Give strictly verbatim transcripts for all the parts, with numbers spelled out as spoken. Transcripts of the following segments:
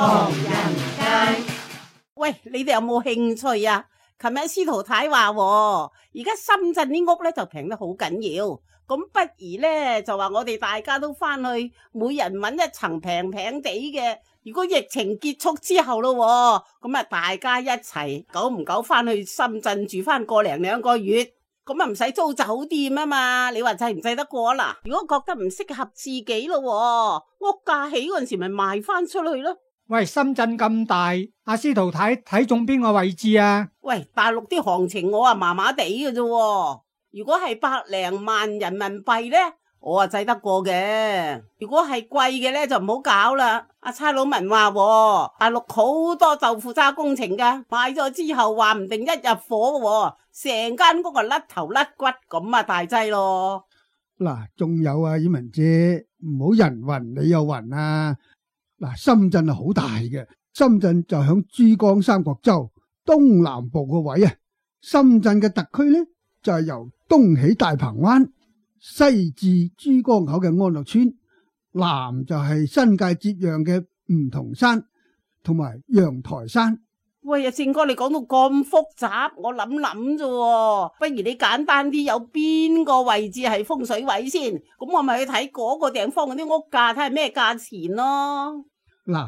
唐人街。喂，你哋有冇興趣啊？琴日司徒太話，而家深圳啲屋咧就平得好緊要，咁不如咧就話我哋大家都翻去，每人搵一層平平地嘅。如果疫情結束之後咯，咁啊大家一齊久唔久翻去深圳住翻個零兩個月，咁啊唔使租酒店啊嘛。你話制唔制得過啦？如果覺得唔適合自己咯，屋價起嗰陣時咪賣翻出去咯。喂，深圳咁大，阿司徒太睇中邊個位置啊？喂，大陸啲行情我啊麻麻地嘅啫，如果係百零萬人民幣呢，我啊制得過嘅。如果係貴嘅呢，就唔好搞啦。阿差佬文話，大陸好多豆腐渣工程噶，買咗之後話唔定一入伙，成間屋啊甩頭甩骨咁啊大劑咯。嗱，仲有啊，婉文姐，唔好人云你又云啊。嗱，深圳係好大嘅，深圳就響珠江三角洲東南部個位啊。深圳嘅特區呢，就係由東起大鵬灣，西至珠江口嘅安樂村，南就係新界接壤嘅梧桐山同埋陽台山。喂，阿正哥，你講到咁複雜，我諗諗啫，不如你簡單啲，有邊個位置係風水位先？咁我咪去睇嗰個地方嗰啲屋價，睇下咩價錢咯。嗱，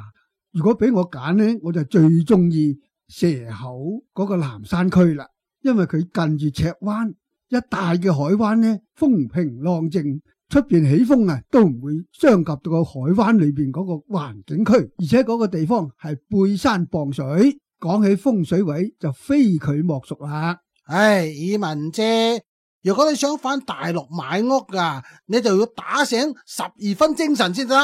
如果俾我揀呢，我就最中意蛇口嗰個南山區啦，因為佢近住赤灣，一帶嘅海灣呢，風平浪靜，出邊起風啊都唔會傷及到個海灣裏邊嗰個環境區，而且嗰個地方係背山傍水，講起風水位就非佢莫屬啦。唉，以文姐，如果你想返大陸買屋噶，你就要打醒十二分精神先得。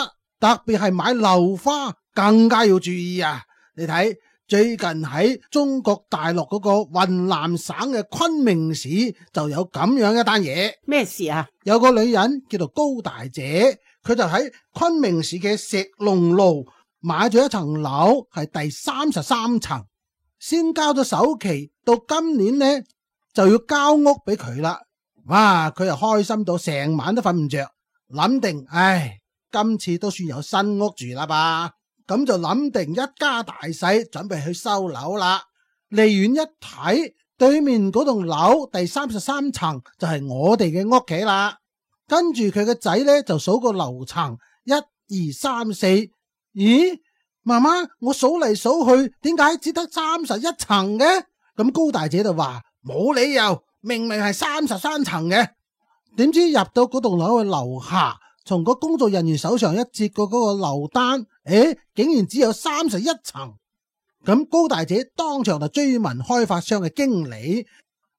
特別係買樓花更加要注意啊！你睇最近喺中國大陸嗰個雲南省嘅昆明市就有咁樣一單嘢。咩事啊？有個女人叫做高大姐，佢就喺昆明市嘅石龍路買咗一層樓，係第三十三層，先交咗首期，到今年呢就要交屋俾佢啦。哇！佢又開心到成晚都瞓唔着，諗定唉。今次都算有新屋住啦吧，咁就諗定一家大細準備去收樓啦。離遠一睇，對面嗰棟樓第三十三層就係我哋嘅屋企啦。跟住佢個仔呢就數個樓層，一二三四，咦，媽媽，我數嚟數去，點解只得三十一層嘅？咁高大姐就話冇理由，明明係三十三層嘅。點知入到嗰棟樓嘅樓下，從個工作人員手上一接過嗰個樓單，誒，竟然只有三十一層。咁高大姐當場就追問開發商嘅經理：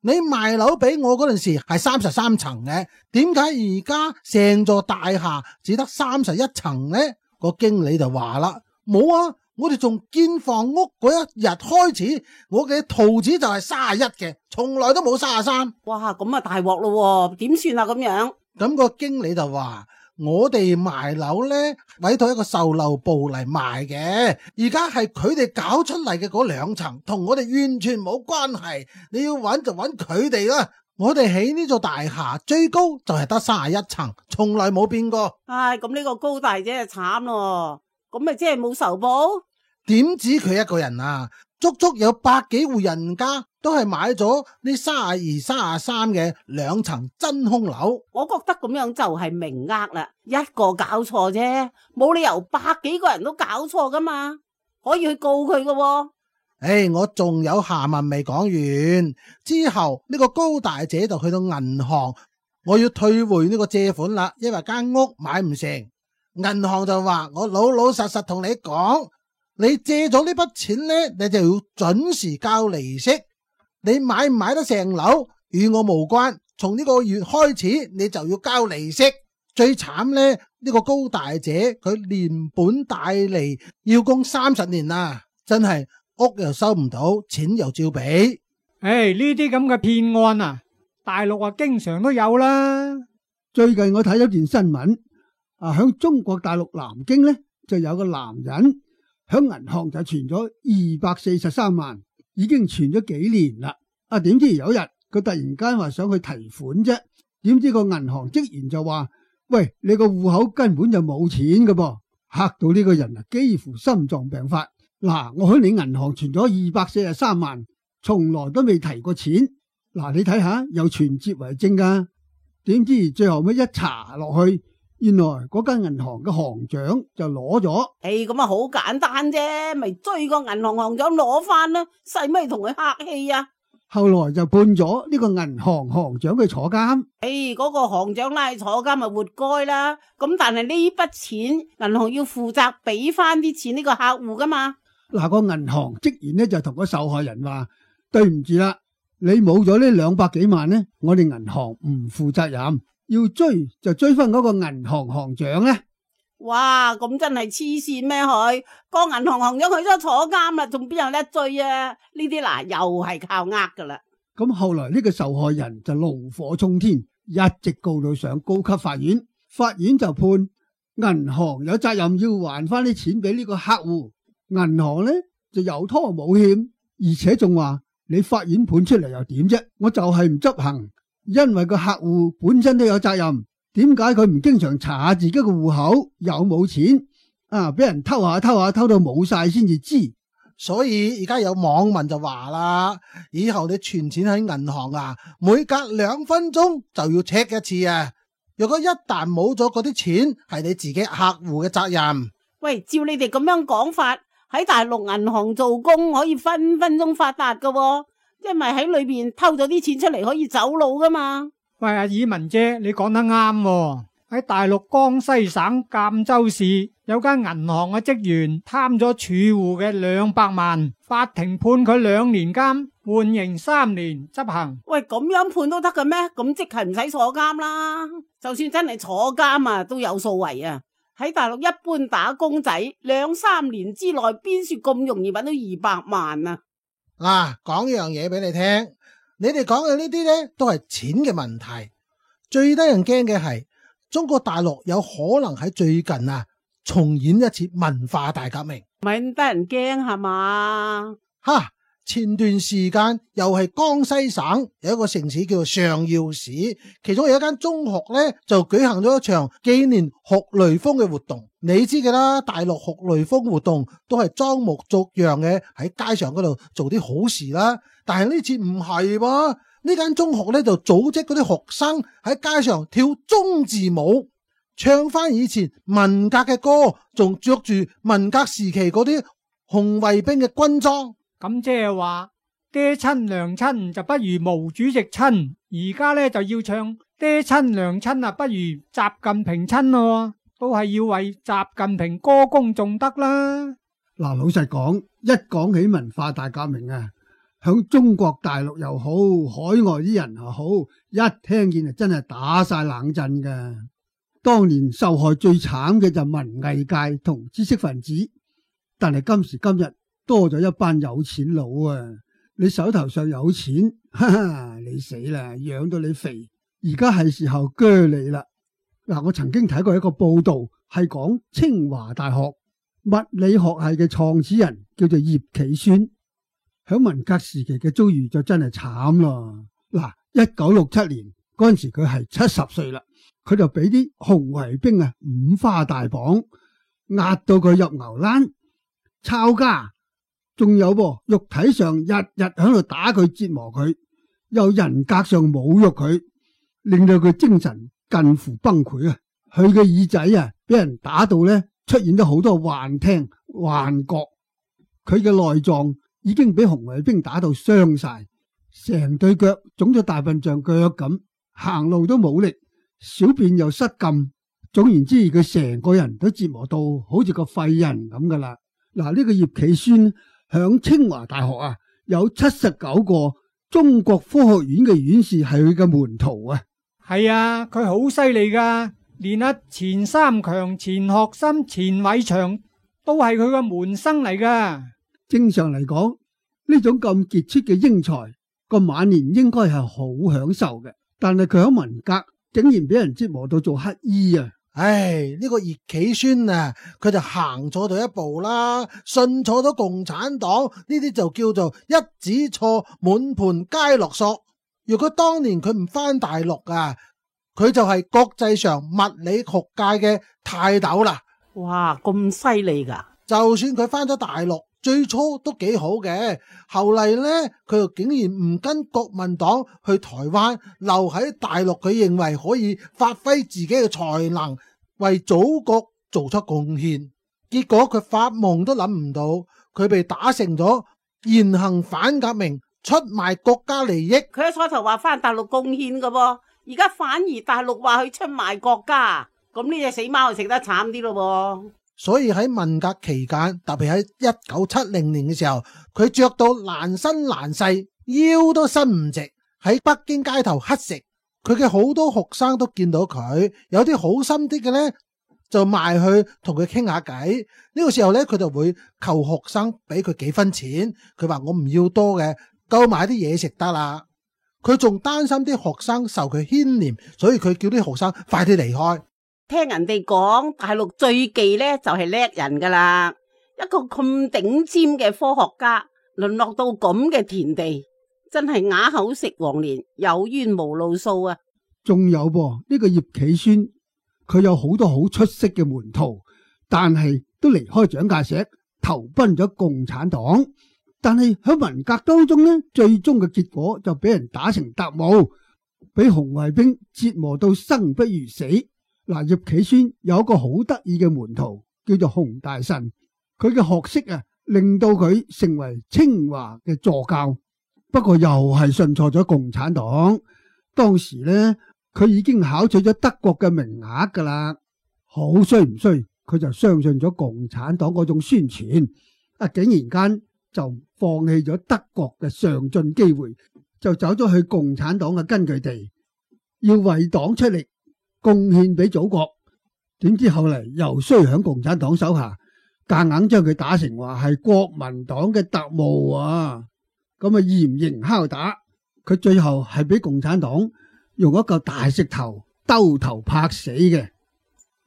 你賣樓俾我嗰陣時係三十三層嘅，點解而家成座大廈只得三十一層呢？個經理就話啦：冇啊，我哋從建房屋嗰一日開始，我嘅圖紙就係三十一嘅，從來都冇三十三。哇，咁啊大鑊咯，點算啊咁樣？咁個經理就話：我哋賣樓呢，委託一個售樓部嚟賣嘅，而家係佢哋搞出嚟嘅嗰兩層，同我哋完全冇關係。你要揾就揾佢哋啦。我哋起呢座大廈最高就係得三十一層，從來冇變過。唉，咁呢個高大姐就慘咯，咁咪即係冇仇報？點止佢一個人啊，足足有百幾戶人家都係買咗呢三十二、三十三嘅兩層真空樓。我覺得咁樣就係明呃啦，一個搞錯啫，冇理由百幾個人都搞錯噶嘛，可以去告佢噶喎。誒，我仲有下文未講完，之後呢個高大姐就去到銀行，我要退回呢個借款啦，因為間屋買唔成。銀行就話：我老老實實同你講，你借咗呢筆錢呢，你就要準時交利息。你買唔買得成樓與我無關，從呢個月開始你就要交利息。最慘呢，呢個高大姐佢連本帶利要供三十年啦，真係屋又收唔到，錢又照俾。唉，呢啲咁嘅騙案啊，大陸啊經常都有啦。最近我睇咗件新聞，啊，響中國大陸南京呢，就有個男人響銀行就存咗二百四十三萬，已經存咗幾年啦。啊，點知有一日佢突然間話想去提款啫，點知個銀行職員就話：喂，你個戶口根本就冇錢㗎噃。嚇到呢個人啊，幾乎心臟病發。嗱，我喺你銀行存咗二百四十三萬，從來都未提過錢。嗱，你睇下，有存摺為證噶。點知最後尾一查落去，原來嗰間銀行嘅行長就攞咗。誒，咁啊好簡單啫，咪追個銀行行長攞翻啦，使咪同佢客氣啊？後來就判咗呢個銀行行長去坐監。誒，嗰個行長拉坐監咪活該啦。咁但係呢筆錢，銀行要負責俾翻啲錢呢個客戶噶嘛。嗱，個銀行職員呢就同個受害人話：對唔住啦，你冇咗呢兩百幾萬呢，我哋銀行唔負責任，要追就追翻嗰個銀行行長呢。哇，咁真係黐線咩？佢個銀行行長佢都坐監啦，仲邊有得追啊？呢啲嗱又係靠呃噶啦。咁後來呢個受害人就怒火沖天，一直告到上高級法院，法院就判銀行有責任要還翻啲錢俾呢個客戶，銀行呢就有拖冇欠，而且仲話你法院判出嚟又點啫？我就係唔執行，因為個客戶本身都有責任。點解佢唔經常查下自己個戶口有冇錢啊？俾人偷下偷下偷到冇晒先至知。所以而家有網民就話啦，以後你存錢喺銀行啊，每隔兩分鐘就要 check 一次啊。如果一旦冇咗嗰啲錢，係你自己客戶嘅責任。喂，照你哋咁樣講法，喺大陸銀行做工可以分分鐘發達噶喎，因為喺裏邊偷咗啲錢出嚟可以走佬噶嘛。喂，阿爾文姐，你講得啱喎。喺大陸江西省贛州市有間銀行嘅職員貪咗儲戶嘅兩百萬，法庭判佢兩年監，緩刑三年執行。喂，咁樣判都得嘅咩？咁即係唔使坐監啦。就算真係坐監啊，都有數為啊。喺大陸一般打工仔兩三年之內邊說咁容易搵到二百萬啊？嗱，講一樣嘢俾你聽。你哋講嘅呢啲呢，都係錢嘅問題。最得人驚嘅係中國大陸有可能喺最近啊重演一次文化大革命。咪得人驚係嘛？哈！前段時間又係江西省有一個城市叫做上饒市，其中有一間中學呢，就舉行咗一場紀念學雷鋒嘅活動。你知嘅啦，大陸學雷鋒活動都係裝模作樣嘅，喺街上嗰度做啲好事啦。但係呢次唔係喎，呢間中學呢，就組織嗰啲學生喺街上跳中字舞，唱翻以前文革嘅歌，仲着住文革時期嗰啲紅衛兵嘅軍裝。咁即係話爹親娘親就不如毛主席親，而家咧就要唱爹親娘親啊，不如習近平親咯，都係要為習近平歌功頌德啦。嗱，老實講，一講起文化大革命啊，響中國大陸又好，海外啲人又好，一聽見就真係打晒冷震噶。當年受害最慘嘅就文藝界同知識分子，但係今時今日多咗一班有錢佬啊！你手頭上有錢，哈哈，你死啦，養到你肥，而家係時候鋸你啦。嗱，我曾經睇過一個報道，係講清華大學物理學系嘅創始人叫做葉企孫，響文革時期嘅遭遇就真係慘啦。嗱，一九六七年嗰陣時佢係七十歲啦，佢就俾啲紅衛兵啊五花大綁，壓到佢入牛欄，抄家。仲有噃，肉體上日日喺度打佢折磨佢，又人格上侮辱佢，令到佢精神近乎崩潰啊！佢嘅耳仔啊，俾人打到咧，出現咗好多幻聽、幻覺。佢嘅內臟已經俾紅衛兵打到傷晒，成對腳腫咗大笨象腳咁，行路都冇力，小便又失禁。總言之，佢成個人都折磨到好似個廢人咁噶啦。嗱，呢個葉企孫響清華大學啊，有七十九個中國科學院嘅院士係佢嘅門徒啊。係啊，佢好犀利噶，連阿錢三強、錢學森、錢偉長都係佢嘅門生嚟噶。正常嚟講，呢種咁傑出嘅英才，個晚年應該係好享受嘅，但係佢喺文革竟然俾人折磨到做乞衣啊！唉，呢個葉企孫啊，佢就行錯咗一步啦，信錯咗共產黨，呢啲就叫做一子錯，滿盤皆落索。如果當年佢唔翻大陸啊，佢就係國際上物理學界嘅泰斗啦。哇，咁犀利噶！就算佢翻咗大陸，最初都幾好嘅，後嚟呢，佢又竟然唔跟國民黨去台灣，留喺大陸，佢認為可以發揮自己嘅才能，為祖國做出貢獻。結果佢發夢都諗唔到，佢被打成咗言行反革命，出賣國家利益。佢喺初頭話翻大陸貢獻嘅噃，而家反而大陸話佢出賣國家，咁呢隻死貓就食得慘啲咯噃。所以喺文革期間，特別喺一九七零年嘅時候，佢着到爛身爛世，腰都伸唔直，喺北京街頭乞食。佢嘅好多學生都見到佢，有啲好心啲嘅呢，就埋去同佢傾下偈。呢個時候呢，佢就會求學生俾佢幾分錢。佢話我唔要多嘅，夠買啲嘢食得啦。佢仲擔心啲學生受佢牽連，所以佢叫啲學生快啲離開。聽人哋講，大陸最忌呢就係叻人噶啦，一個咁頂尖嘅科學家，淪落到咁嘅田地，真係啞口食黃連，有冤無路訴啊！仲有噃，呢個葉企孫，佢有好多好出色嘅門徒，但係都離開蔣介石，投奔咗共產黨。但係喺文革當中呢，最終嘅結果就俾人打成特務，俾紅衛兵折磨到生不如死。嗱，葉企孫有一個好得意嘅門徒，叫做洪大臣。佢嘅學識啊，令到佢成為清華嘅助教。不過又係信錯咗共產黨。當時呢，佢已經考取咗德國嘅名額噶啦。好衰唔衰？佢就相信咗共產黨嗰種宣傳，啊，竟然間就放棄咗德國嘅上進機會，就走咗去共產黨嘅根據地，要為黨出力，貢獻俾祖國。點知後嚟又衰響共產黨手下，夾硬將佢打成話係國民黨嘅特務啊！咁啊嚴刑拷打，佢最後係俾共產黨用一嚿大石頭兜頭拍死嘅。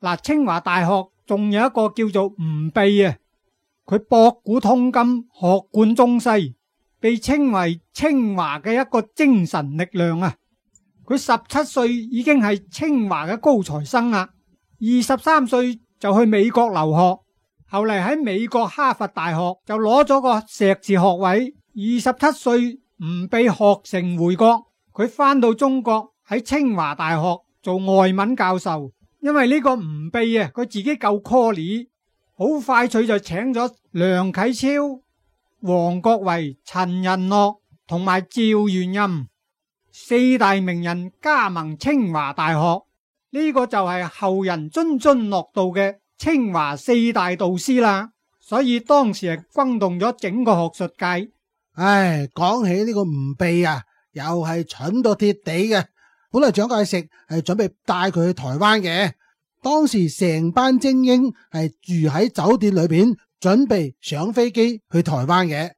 嗱，清華大學仲有一個叫做吳臏啊，佢博古通今，學貫中西，被稱為清華嘅一個精神力量啊！佢十七歲已經係清華嘅高材生啦，二十三歲就去美國留學，後嚟喺美國哈佛大學就攞咗個碩士學位。二十七歲吳臏學成回國，佢翻到中國喺清華大學做外文教授。因為呢個吳臏啊，佢自己夠 call， 好快脆就請咗梁啟超、王國維、陳寅恪同埋趙元任四大名人加盟清華大學，呢個就係後人津津樂道嘅清華四大導師啦。所以當時係轟動咗整個學術界。唉，講起呢個吳臏啊，又係蠢到貼地嘅。本來蔣介石係準備帶佢去台灣嘅，當時成班精英係住喺酒店裏邊，準備上飛機去台灣嘅。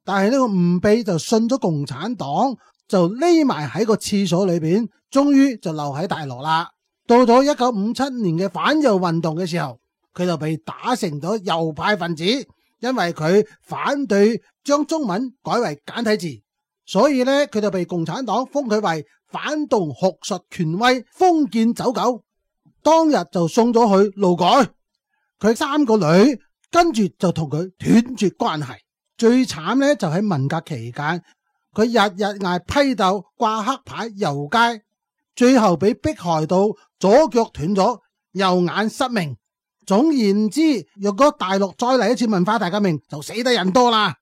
但係呢個吳臏就信咗共產黨，就匿埋喺個廁所裏邊，終於就留喺大陸啦。到咗一九五七年嘅反右運動嘅時候，佢就被打成咗右派分子，因為佢反對將中文改為簡體字，所以呢，佢就被共產黨封佢為反動學術權威封建走狗，當日就送咗去勞改。佢三個女跟住就同佢斷絕關係。最慘呢，就喺文革期間，佢日日挨批鬥、掛黑牌、遊街，最後俾迫害到左腳斷咗，右眼失明。總言之，若果大陸再嚟一次文化大革命，就死得人多啦。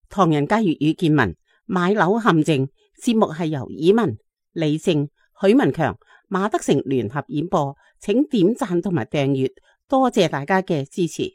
唐人街粵語見聞買樓陷阱節目係由以文、李靜、許文強、馬德成聯合演播，請點讚同埋訂閱，多謝大家嘅支持。